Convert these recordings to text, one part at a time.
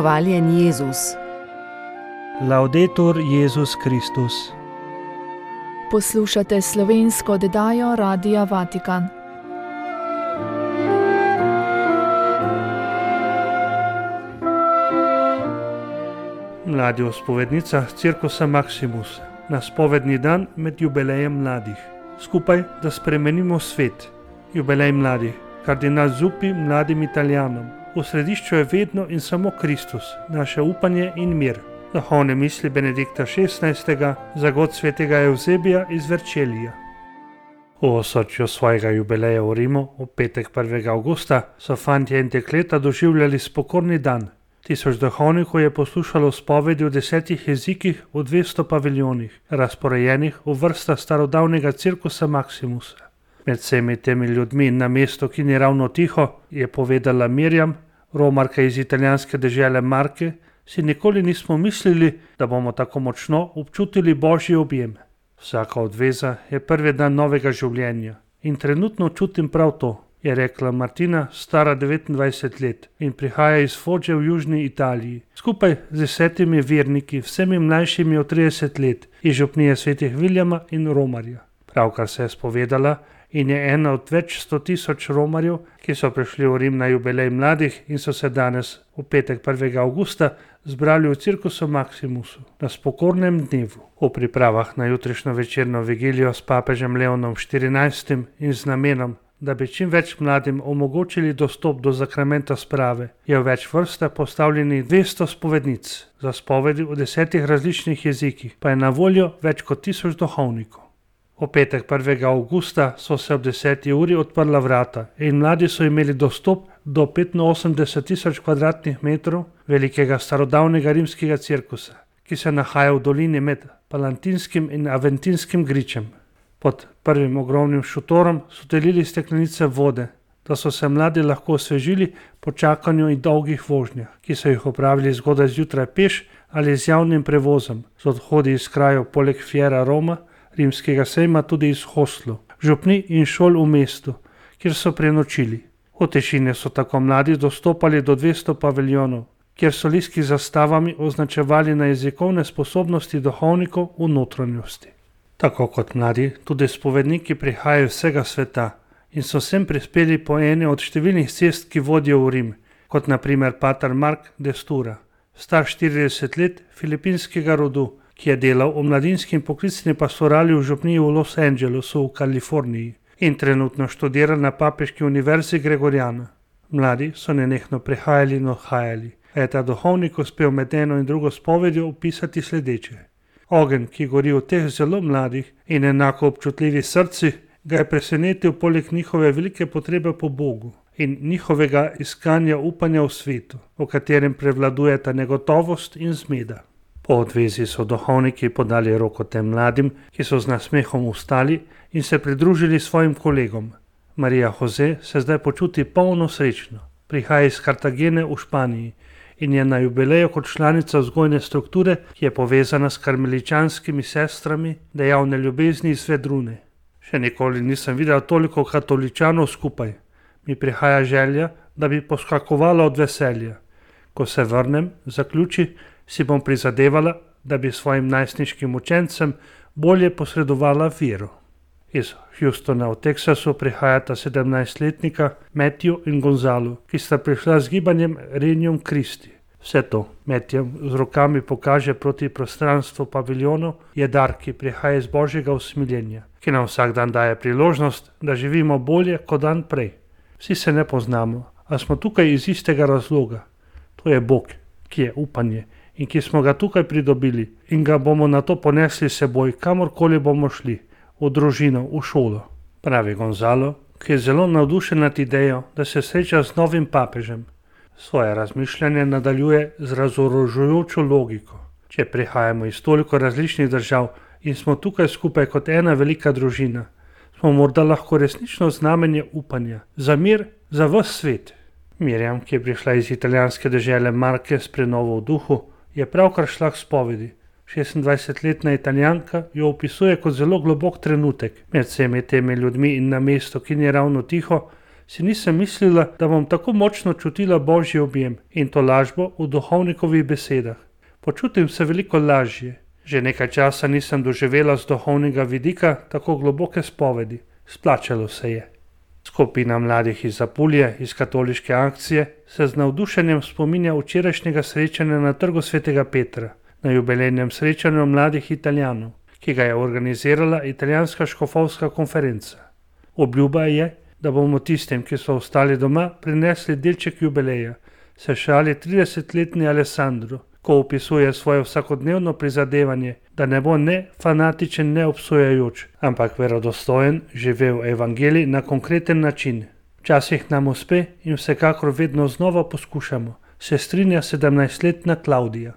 Hvaljen Jezus. Laudetur Jezus Kristus. Poslušate slovensko oddajo Radia Vatikan. Mladi v spovednicah Cirkusa Maximus, na spovedni dan med jubilejem mladih. Skupaj, da spremenimo svet. Jubilej mladih, kardinal Zuppi mladim Italijanom. V središču je vedno in samo Kristus, naše upanje in mir. Duhovne misli Benedikta XVI. Za god svetega Evzebija iz Verčelija. V osrčju svojega jubileja v Rimu, v petek 1. avgusta, so fantje in dekleta doživljali spokorni dan. 1000 duhovnikov je poslušalo spovedi v 10 jezikih v 200 paviljonih, razporejenih v vrstah starodavnega Cirkusa Maximusa. Med vsemi temi ljudmi na mestu, ki ni ravno tiho, je povedala Mirjam, romarka iz italijanske dežele Marke, si nikoli nismo mislili, da bomo tako močno občutili Božji objem. Vsaka odveza je prvi dan novega življenja in trenutno čutim prav to, je rekla Martina, stara 29 let in prihaja iz Fogge v južni Italiji. Skupaj z 10 verniki, vsemi mlajšimi od 30 let, iz župnije svetih Viljama in Romarja. Pravkar se je spovedala in je ena od več 100 000 Romarjev, ki so prišli v Rim na jubilej mladih in so se danes, v petek 1. avgusta, zbrali v Cirkusu Maximusu na spokornem dnevu. V pripravah na jutrišnjo večerno vigilijo s papežem Leonom XIV in z namenom, da bi čim več mladim omogočili dostop do zakramenta sprave, je v več vrstah postavljenih 200 spovednic. Za spovedi v 10 različnih jezikih pa je na voljo več kot 1000 duhovnikov. V petek 1. avgusta so se ob 10. uri odprla vrata in mladi so imeli dostop do 85 000 kvadratnih metrov velikega starodavnega rimskega cirkusa, ki se nahaja v dolini med Palantinskim in Aventinskim gričem. Pod prvim ogromnim šotorom so delili steklenice vode, da so se mladi lahko osvežili po čakanju in dolgih vožnjah, ki so jih opravili zgodaj zjutraj peš ali z javnim prevozom, z odhodi iz krajev poleg Fiera Roma, rimskega sejma tudi iz hostlov, župni in šol v mestu, kjer so prenočili. V tišini so tako mladi dostopali do 200 paviljonov, kjer so listki z zastavami označevali na jezikovne sposobnosti duhovnikov v notranjosti. Tako kot mladi, tudi spovedniki prihajajo iz vsega sveta in so sem prispeli po eni od številnih cest, ki vodijo v Rim, kot naprimer pater Mark de Stura, star 40 let, filipinskega rodu, ki je delal v mladinski in poklicni pastorali v župniji v Los Angelesu v Kaliforniji in trenutno študira na papeški univerzi Gregoriana. Mladi so nenehno prihajali in odhajali, a je ta duhovnik uspel med eno in drugo spovedjo opisati sledeče. Ogenj, ki gori v teh zelo mladih in enako občutljivih srcih, ga je presenetil poleg njihove velike potrebe po Bogu in njihovega iskanja upanja v svetu, v katerem prevladujeta negotovost in zmeda. Po odvezi so duhovniki podali roko tem mladim, ki so z nasmehom vstali in se pridružili svojim kolegom. Marija Jose se zdaj počuti polno srečno. Prihaja iz Kartagene v Španiji in je na jubileju kot članica vzgojne strukture, ki je povezana s karmeličanskimi sestrami dejavne ljubezni iz Vedrune. Še nikoli nisem videl toliko katoličanov skupaj. Mi prihaja želja, da bi poskakovala od veselja. Ko se vrnem, zaključi, si bom prizadevala, da bi svojim najstniškim učencem bolje posredovala vero. Iz Houstona v Teksasu prihajata 17-letnika Matthew in Gonzalo, ki sta prišla z gibanjem Regnum Christi. Vse to Matthew z rokami pokaže proti prostranstvu paviljonov, je dar, ki prihaja iz Božjega usmiljenja, ki nam vsak dan daje priložnost, da živimo bolje kot dan prej. Vsi se ne poznamo, a smo tukaj iz istega razloga. To je Bog, ki je upanje in ki smo ga tukaj pridobili in ga bomo na to ponesli seboj, kamorkoli bomo šli, v družino, v šolo. Pravi Gonzalo, ki je zelo navdušen nad idejo, da se sreča z novim papežem. Svoje razmišljanje nadaljuje z razorožujočo logiko. Če prihajamo iz toliko različnih držav in smo tukaj skupaj kot ena velika družina, smo morda lahko resnično znamenje upanja, za mir, za ves svet. Mirjam, ki je prišla iz italijanske dežele Marke s prenovo v duhu, je pravkar šla k spovedi. 26-letna Italijanka jo opisuje kot zelo globok trenutek med vsemi temi ljudmi in na mestu, ki ni ravno tiho, si nisem mislila, da bom tako močno čutila Božji objem in to lažbo v duhovnikovih besedah. Počutim se veliko lažje. Že nekaj časa nisem doživela z duhovnega vidika tako globoke spovedi. Splačalo se je. Skupina mladih iz Apulije, iz katoliške akcije, se z navdušenjem spominja včerajšnjega srečanja na Trgu svetega Petra, na jubilejnem srečanju mladih Italijanov, ki ga je organizirala italijanska škofovska konferenca. Obljuba je, da bomo tistim, ki so ostali doma, prinesli delček jubileja, se šali 30-letni Alessandro, ko opisuje svoje vsakodnevno prizadevanje, da ne bo ne fanatičen, ne obsojajoč, ampak verodostojen, živel evangelij na konkreten način. Včasih nam uspe in vsekakor vedno znova poskušamo, se strinja 17-letna Klaudija.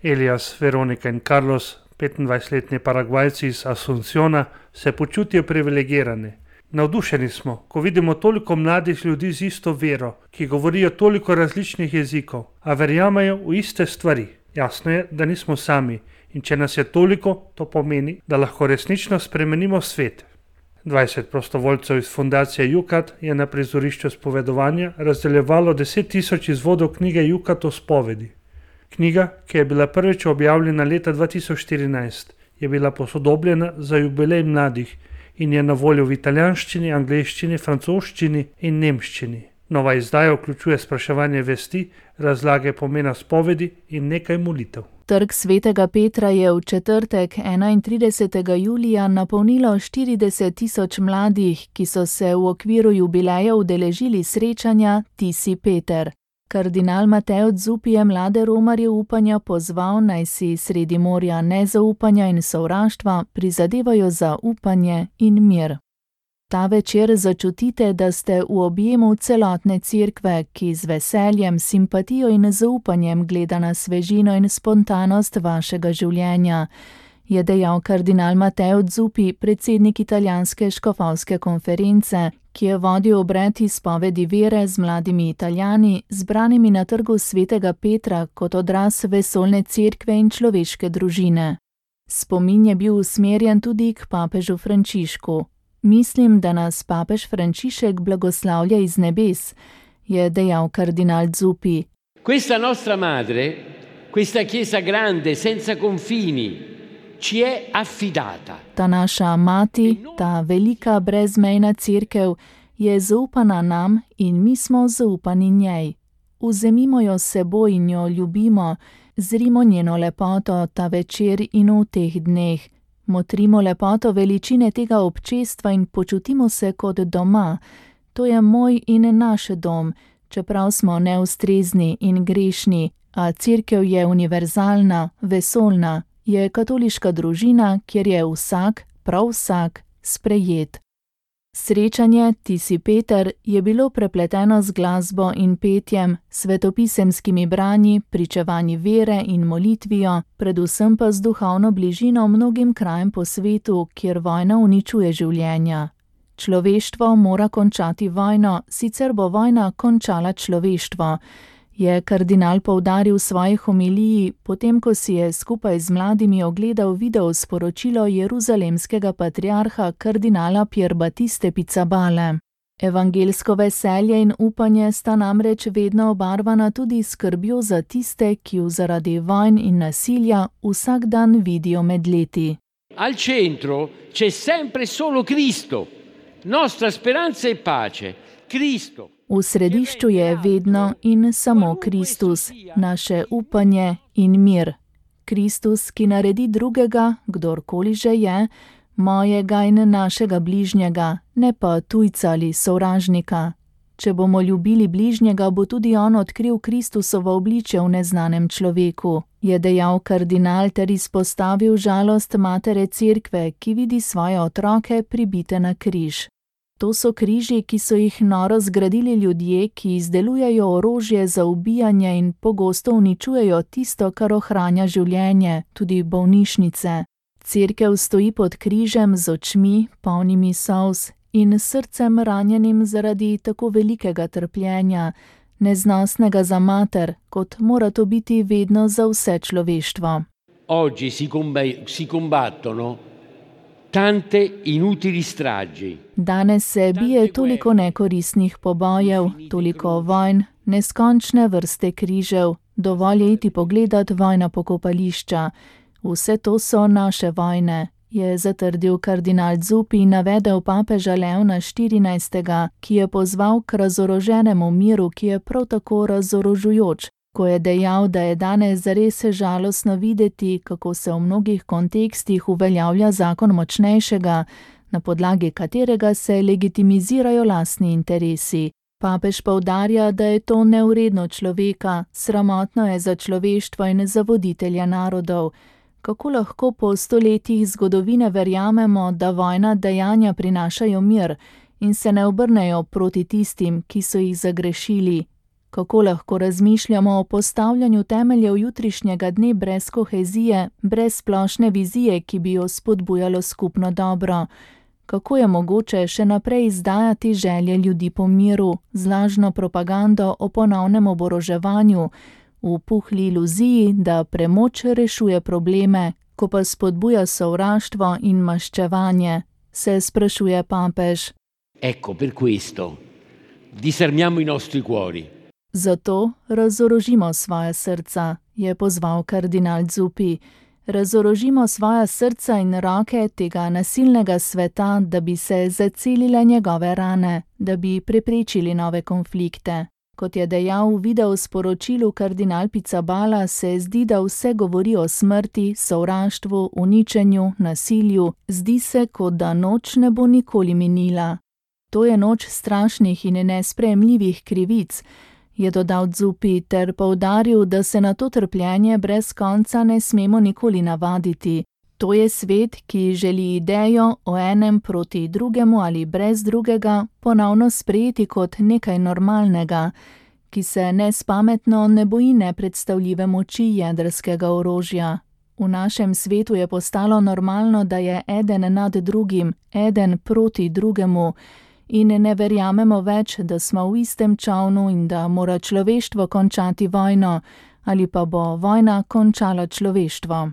Elias, Veronika in Carlos, 25-letni Paragvajci iz Asunciona, se počutijo privilegirane. Navdušeni smo, ko vidimo toliko mladih ljudi z isto vero, ki govorijo toliko različnih jezikov, a verjamejo v iste stvari. Jasno je, da nismo sami in če nas je toliko, to pomeni, da lahko resnično spremenimo svet. 20 prostovoljcev iz fundacije Jukat je na prizorišču spovedovanja razdeljevalo 10.000 izvodov knjige Jukat o spovedi. Knjiga, ki je bila prvič objavljena leta 2014, je bila posodobljena za jubilej mladih in je na voljo v italijanščini, angleščini, francoščini in nemščini. Nova izdaja vključuje spraševanje vesti, razlage pomena spovedi in nekaj molitev. Trg svetega Petra je v četrtek 31. julija napolnilo 40.000 mladih, ki so se v okviru jubileja udeležili srečanja Ti si Peter. Kardinal Mateo Zuppi je mlade romarje upanja pozval, naj si sredi morja nezaupanja in sovraštva prizadevajo za upanje in mir. Ta večer začutite, da ste v objemu celotne cerkve, ki z veseljem, simpatijo in zaupanjem gleda na svežino in spontanost vašega življenja, je dejal kardinal Mateo Zuppi, predsednik italijanske škofovske konference, ki je vodil obred izpovedi vere z mladimi Italijani, zbranimi na Trgu svetega Petra kot odraz vesoljne cerkve in človeške družine. Spomin je bil usmerjen tudi k papežu Frančišku. Mislim, da nas papež Frančišek blagoslavlja iz nebes, je dejal kardinal Zuppi. Questa nostra madre, questa chiesa grande, senza confini, ci è affidata. Ta naša mati, ta velika brezmejna cerkev je zaupana nam in mi smo zaupani njej. Vzemimo jo s seboj in jo ljubimo, zrimo njeno lepoto ta večer in v teh dneh. Motrimo lepoto veličine tega občestva in počutimo se kot doma. To je moj in naš dom, čeprav smo neustrezni in grešni, a cerkev je univerzalna, vesoljna, je katoliška družina, kjer je vsak, prav vsak, sprejet. Srečanje Ti si Peter je bilo prepleteno z glasbo in petjem, svetopisemskimi branji, pričevanji vere in molitvijo, predvsem pa z duhovno bližino mnogim krajem po svetu, kjer vojna uničuje življenja. Človeštvo mora končati vojno, sicer bo vojna končala človeštvo, je kardinal poudaril v svoji homiliji, potem ko si je skupaj z mladimi ogledal video sporočilo jeruzalemskega patriarha kardinala Pier Battiste Pizzabale. Evangelsko veselje in upanje sta namreč vedno obarvana tudi skrbjo za tiste, ki jo zaradi vojn in nasilja vsak dan vidijo med leti. Al centro c'è sempre solo Cristo, nostra speranza e pace, Cristo. V središču je vedno in samo Kristus, naše upanje in mir. Kristus, ki naredi drugega, kdorkoli že je, mojega in našega bližnjega, ne pa tujca ali sovražnika. Če bomo ljubili bližnjega, bo tudi on odkril Kristusovo obličje v neznanem človeku, je dejal kardinal ter izpostavil žalost matere cerkve, ki vidi svoje otroke pribite na križ. To so križi, ki so jih noro zgradili ljudje, ki izdelujejo orožje za ubijanje in pogosto uničujejo tisto, kar ohranja življenje, tudi bolnišnice. Cerkev stoji pod križem z očmi, polnimi solz, in srcem ranjenim zaradi tako velikega trpljenja, neznosnega za mater, kot mora to biti vedno za vse človeštvo. Oggi si combattono tante inutili stragi. Danes se bije toliko nekoristnih pobojev, toliko vojn, neskončne vrste križev, dovolj je iti pogledat vojna pokopališča. Vse to so naše vojne, je zatrdil kardinal Zuppi in navedel papeža Leona XIV., ki je pozval k razoroženemu miru, ki je prav tako razorožujoč, ko je dejal, da je danes zares žalostno videti, kako se v mnogih kontekstih uveljavlja zakon močnejšega, na podlagi katerega se legitimizirajo lastni interesi. Papež poudarja, da je to nevredno človeka, sramotno je za človeštvo in za voditelja narodov. Kako lahko po stoletjih zgodovine verjamemo, da vojna dejanja prinašajo mir in se ne obrnejo proti tistim, ki so jih zagrešili? Kako lahko razmišljamo o postavljanju temeljev jutrišnjega dne brez kohezije, brez splošne vizije, ki bi jo spodbujalo skupno dobro? Kako je mogoče še naprej izdajati želje ljudi po miru, z lažno propagando o ponovnem oboroževanju, v puhli iluziji, da premoč rešuje probleme, ko pa spodbuja sovraštvo in maščevanje, se sprašuje papež. Ecco, per questo, disarmiamo i nostri cuori. Zato razorožimo svoja srca, je pozval kardinal Zuppi. Razorožimo svoja srca in roke tega nasilnega sveta, da bi se zacelile njegove rane, da bi preprečili nove konflikte. Kot je dejal v videosporočilu kardinal Pizzaballa, se zdi, da vse govori o smrti, sovraštvu, uničenju, nasilju. Zdi se, kot da noč ne bo nikoli minila. To je noč strašnih in nesprejemljivih krivic, je dodal Zuppi ter poudaril, da se na to trpljenje brez konca ne smemo nikoli navaditi. To je svet, ki želi idejo o enem proti drugemu ali brez drugega ponovno sprejeti kot nekaj normalnega, ki se nespametno ne boji nepredstavljive moči jedrskega orožja. V našem svetu je postalo normalno, da je eden nad drugim, eden proti drugemu, in ne verjamemo več, da smo v istem čolnu in da mora človeštvo končati vojno, ali pa bo vojna končala človeštvo.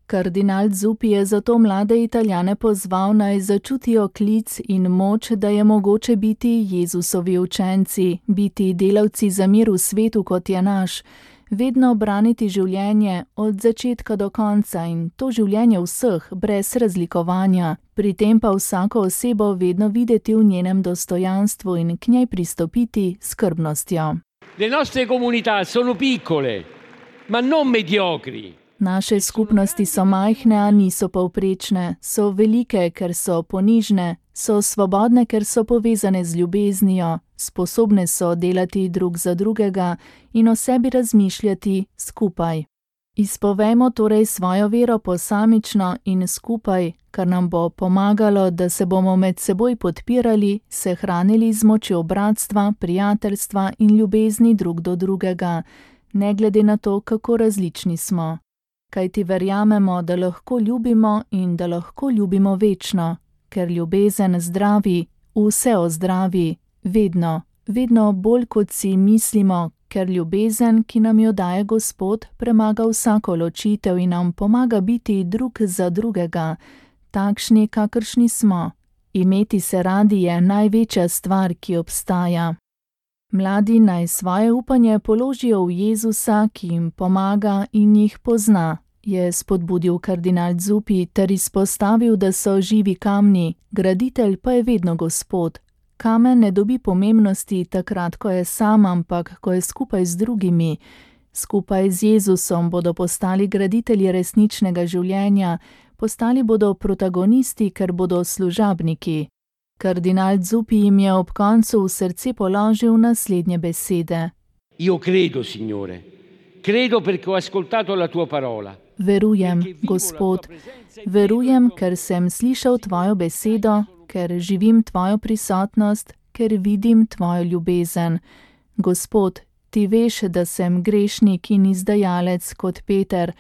Kardinal Zuppi je zato mlade Italijane pozval, naj začutijo klic in moč, da je mogoče biti Jezusovi učenci, biti delavci za mir v svetu, kot je naš, vedno braniti življenje od začetka do konca in to življenje vseh, brez razlikovanja, pri tem pa vsako osebo vedno videti v njenem dostojanstvu in k njej pristopiti s skrbnostjo. Le nostre comunità sono piccole, ma non mediocri. Naše skupnosti so majhne, a niso povprečne, so velike, ker so ponižne, so svobodne, ker so povezane z ljubeznijo, sposobne so delati drug za drugega in o sebi razmišljati skupaj. Izpovejmo torej svojo vero posamično in skupaj, kar nam bo pomagalo, da se bomo med seboj podpirali, se hranili z močjo bratstva, prijateljstva in ljubezni drug do drugega, ne glede na to, kako različni smo. Kajti verjamemo, da lahko ljubimo in da lahko ljubimo večno, ker ljubezen zdravi, vse ozdravi, vedno, vedno bolj kot si mislimo, ker ljubezen, ki nam jo daje Gospod, premaga vsako ločitev in nam pomaga biti drug za drugega, takšni, kakršni smo. Imeti se radi je največja stvar, ki obstaja. Mladi naj svoje upanje položijo v Jezusa, ki jim pomaga in jih pozna, je spodbudil kardinal Zuppi ter izpostavil, da so živi kamni, graditelj pa je vedno Gospod. Kamen ne dobi pomembnosti takrat, ko je sam, ampak ko je skupaj z drugimi. Skupaj z Jezusom bodo postali graditelji resničnega življenja, postali bodo protagonisti, ker bodo služabniki. Kardinal Zuppi jim je ob koncu v srce položil naslednje besede. Io credo, Signore, credo perché ho ascoltato la tua parola. Verujem, Gospod, verujem, ker sem slišal tvojo besedo, ker živim tvojo prisotnost, ker vidim tvojo ljubezen. Gospod, ti veš, da sem grešnik in izdajalec kot Peter,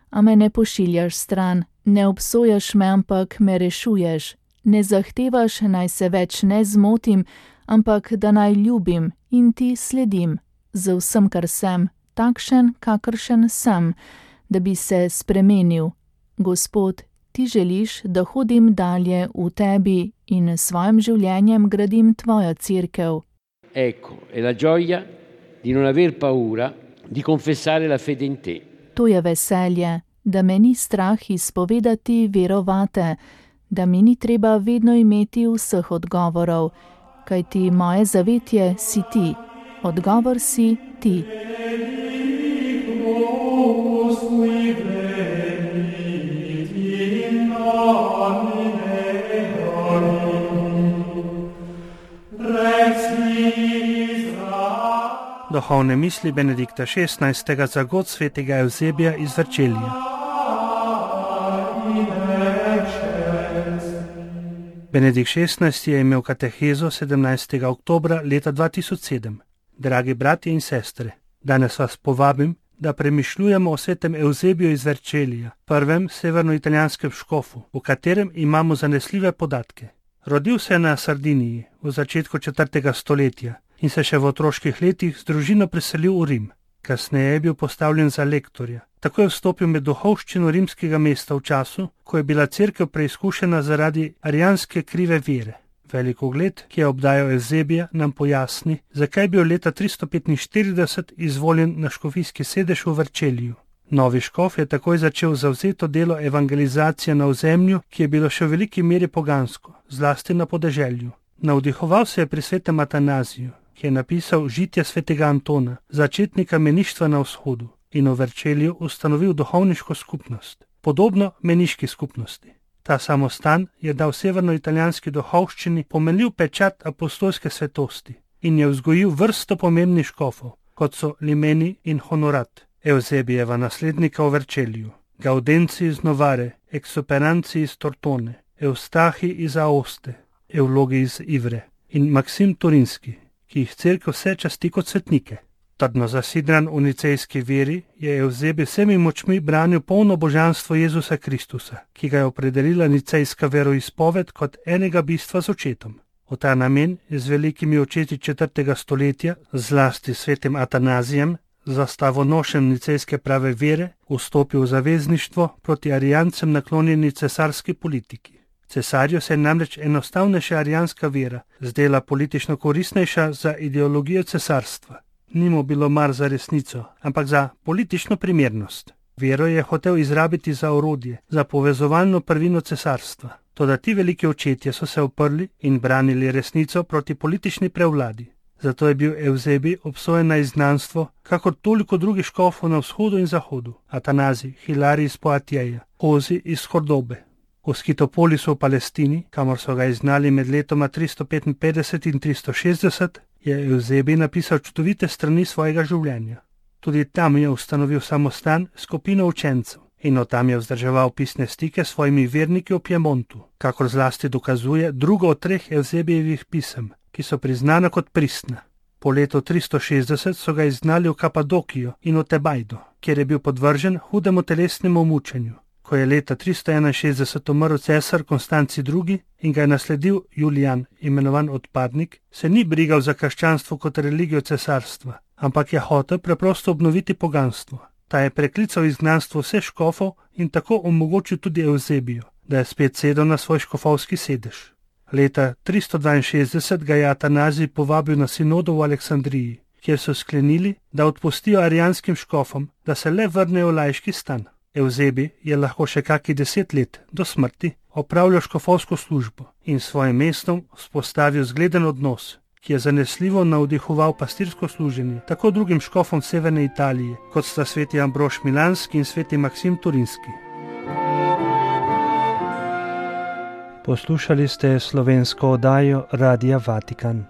a me ne pošiljaš stran, ne obsojaš me, ampak me rešuješ. Ne zahtevaš, naj se več ne zmotim, ampak da naj ljubim in ti sledim, z vsem, kar sem, takšen, kakršen sem, da bi se spremenil. Gospod, ti želiš, da hodim dalje v tebi in s svojim življenjem gradim tvojo cerkev. Ecco, è la gioia di non aver paura di confessare la fede in te. To je veselje, da me ni strah izpovedati verovate, da mi ni treba vedno imeti vseh odgovorov, kajti moje zavetje si ti, odgovor si ti. Duhovne misli Benedikta XVI. Za god svetega Evzebija iz Vercelija. Benedikt XVI. Je imel katehezo 17. oktobra leta 2007. Dragi bratje in sestre, danes vas povabim, da premišljujemo o svetem Evzebiju iz Vercelija, prvem severnoitalijanskem škofu, v katerem imamo zanesljive podatke. Rodil se je na Sardiniji v začetku 4. stoletja in se še v otroških letih z družino preselil v Rim. Kasneje je bil postavljen za lektorja. Tako je vstopil med duhovščino rimskega mesta v času, ko je bila cerkev preizkušena zaradi arijanske krive vere. Velik ugled, ki je obdajal Evzebija, nam pojasni, zakaj je bil leta 345 izvoljen na škofijski sedež v Verceliju. Novi škof je takoj začel zavzeto delo evangelizacije na ozemlju, ki je bilo še v veliki meri pogansko, zlasti na podeželju. Navdihoval se je pri svetem Atanaziju, ki je napisal žitje svetega Antona, začetnika meništva na vzhodu, in v Verceliju ustanovil duhovniško skupnost, podobno meniški skupnosti. Ta samostan je dal severnoitalijanski duhovščini pomenljiv pečat apostolske svetosti in je vzgojil vrsto pomembnih škofov, kot so Limeni in Honorat, Evzebijeva naslednika v Verceliju, Gaudenci iz Novare, Exuperanci iz Tortone, Eustahi iz Aoste, Evlogi iz Ivre in Maksim Turinski, ki jih cerkev vse časti kot svetnike. Trdno zasidran v nicejski veri je Evzebij vsemi močmi branil polno božanstvo Jezusa Kristusa, ki ga je opredelila nicejska veroizpoved kot enega bistva z očetom. V ta namen je z velikimi očeti 4. stoletja, zlasti svetim Atanazijem, zastavonošem nicejske prave vere, vstopil v zavezništvo proti arijancem naklonjeni cesarski politiki. Cesarju se je namreč enostavnejša arijanska vera zdela politično koristnejša za ideologijo cesarstva. Ni mu bilo mar za resnico, ampak za politično primernost. Vero je hotel izrabiti za orodje, za povezovalno prvino cesarstva. Toda ti veliki očetje so se uprli in branili resnico proti politični prevladi. Zato je bil Evzebij obsojen na izgnanstvo, kakor toliko drugih škofov na vzhodu in zahodu, Atanazij, Hilarij iz Poatjeja, Hozi iz Kordobe. V Skitopolisu v Palestini, kamor so ga izgnali med letoma 355 in 360, je Evzebij napisal čudovite strani svojega življenja. Tudi tam je ustanovil samostan skupino učencev in od tam je vzdrževal pisne stike s svojimi verniki v Piemontu, kakor zlasti dokazuje drugo od 3 Evzebijevih pisem, ki so priznana kot pristna. Po letu 360 so ga izgnali v Kapadokijo in v Tebajdo, kjer je bil podvržen hudemu telesnemu mučenju. Ko je leta 361 umrl cesar Konstanci II. In ga je nasledil Julijan, imenovan odpadnik, se ni brigal za krščanstvo kot religijo cesarstva, ampak je hotel preprosto obnoviti poganstvo. Ta je preklical izgnanstvo vseh škofov in tako omogočil tudi Evzebiju, da je spet sedel na svoj škofovski sedež. Leta 362 ga je Atanazij povabil na sinodo v Aleksandriji, kjer so sklenili, da odpustijo arijanskim škofom, da se le vrnejo v laiški stan. Evzebij je lahko še kakih 10 let do smrti opravljal škofovsko službo in s svojim mestom vzpostavil zgleden odnos, ki je zanesljivo navdihoval pastirsko služenje tako drugim škofom severne Italije, kot sta sveti Ambrož Milanski in sveti Maksim Turinski. Poslušali ste slovensko oddajo Radia Vatikan.